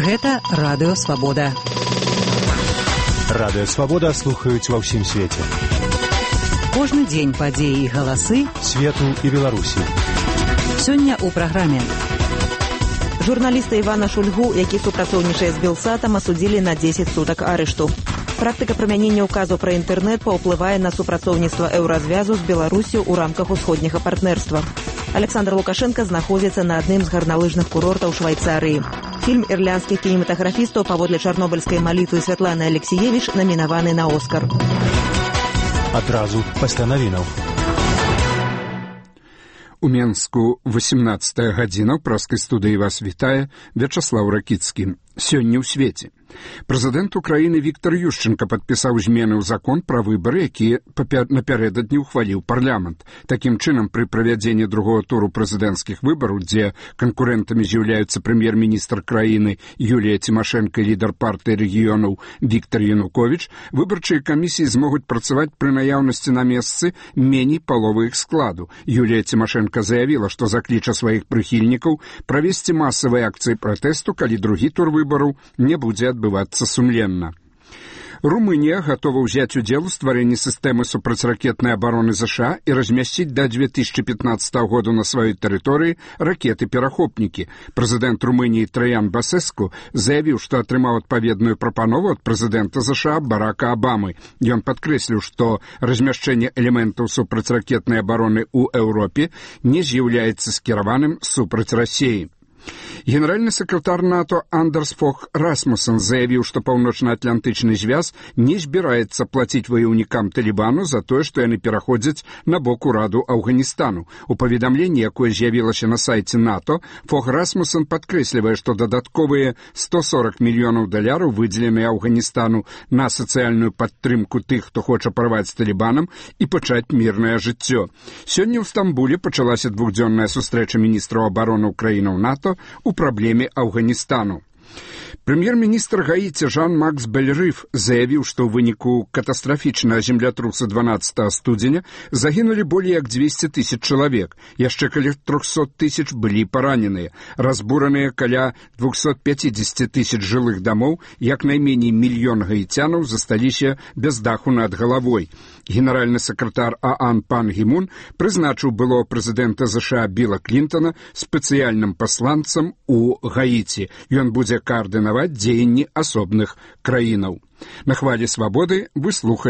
Гэта Радыё Свабода. Радыё Свабода слухаюць ва ўсім свеце. Кожны дзень падзеі і галасы свету і Беларусі. Сёння ў праграме. Журналіста Івана Шульгу, які супрацоўнічае з Белсатам, асудзілі на 10 сутак арышту. Практыка прымянення ўказу пра інтэрнэт паўплывае на супрацоўніцтва еўразвязу з Беларусю ў рамках усходняга партнерства. Александр Лукашенко знаходзіцца на адным з гарналыжных курортаў Швайцарыі. Фільм ірландскіх кінематаграфістаў паводле чарнобыльскай малітвы Святланы Алексіевіч намінаваны на Оскар. Адразу пасля навінаў. У Менску 18 гадзіна ў праскай студыі вас вітае Вячаслаў Ракіцкі. Сёння ў свеце. Прэзідэнт Украіны Віктор Ющенка падпісаў змены ў закон пра выбары, які напярэдадні ўхваліў парламент. Такім чынам, пры правядзенні другого туру прэзідэнцкіх выбараў, дзе канкурэнтамі з'яўляюцца прэм'ер-міністр краіны Юлія Цімашэнка і лідар партыі рэгіёнаў Віктор Януковіч, выбарчыя камісіі змогуць працаваць пры наяўнасці на месцы меней паловы іх складу. Юлія Цімашэнка заявіла, што закліча сваіх прыхільнікаў правесці масавыя акцыі пратэсту, калі другі тур выбараў не будзе адбывацца сумленна. Румынія гатова ўзяць удзел у стварэнні сістэмы супрацьракетнай абароны ЗША і размясціць да 2015 году на сваёй тэрыторыі ракеты-перахопнікі. Прэзідэнт Румыніі Траян Басеску заявіў, што атрымаў адпаведную прапанову ад прэзідэнта ЗША Барака Абамы. Ён падкрэсліў, што размяшчэнне элементаў супрацьракетнай абароны ў Еўропе не з'яўляецца скіраваным супраць Расіі. Генеральны сакратар НАТО Андерс Фог Расмуссен заявіў, што паўночна-атлантычны звяз не збіраецца плаціць ваяўнікам Талібану за тое, што яны пераходзяць на бок ураду Афганістану. У паведамленні, якое з'явілася на сайце НАТО, Фог Расмуссен падкрэслівае, што дадатковыя $140 мільёнаў выдзеленыя Афганістану на сацыяльную падтрымку тых, хто хоча парваць з Талібанам і пачаць мірнае жыццё. Сёння ў Стамбуле пачалася двухдзённая сустрэча міністраў абароны краінаў НАТО у праблеме Афганістану. Прэм'ер-міністр Гаіці Жан-Макс Бельрыф заявіў, што ў выніку катастрафічнага землятруса 12 студзеня загінулі болей як 200 000 чалавек, яшчэ каля 300 000 былі параненыя, разбураныя каля 250 000 жылых дамоў, як найменей 1 мільён гаіцянаў засталіся без даху над галавой. Генеральны сакратар ААН Пан Гі Мун прызначыў былого прэзідэнта ЗША Біла Клінтона спецыяльным пасланцам у Гаіці. Ён будзе каардынаваць дзеянні асобных краінаў. На хвалі свабоды вы слухаеце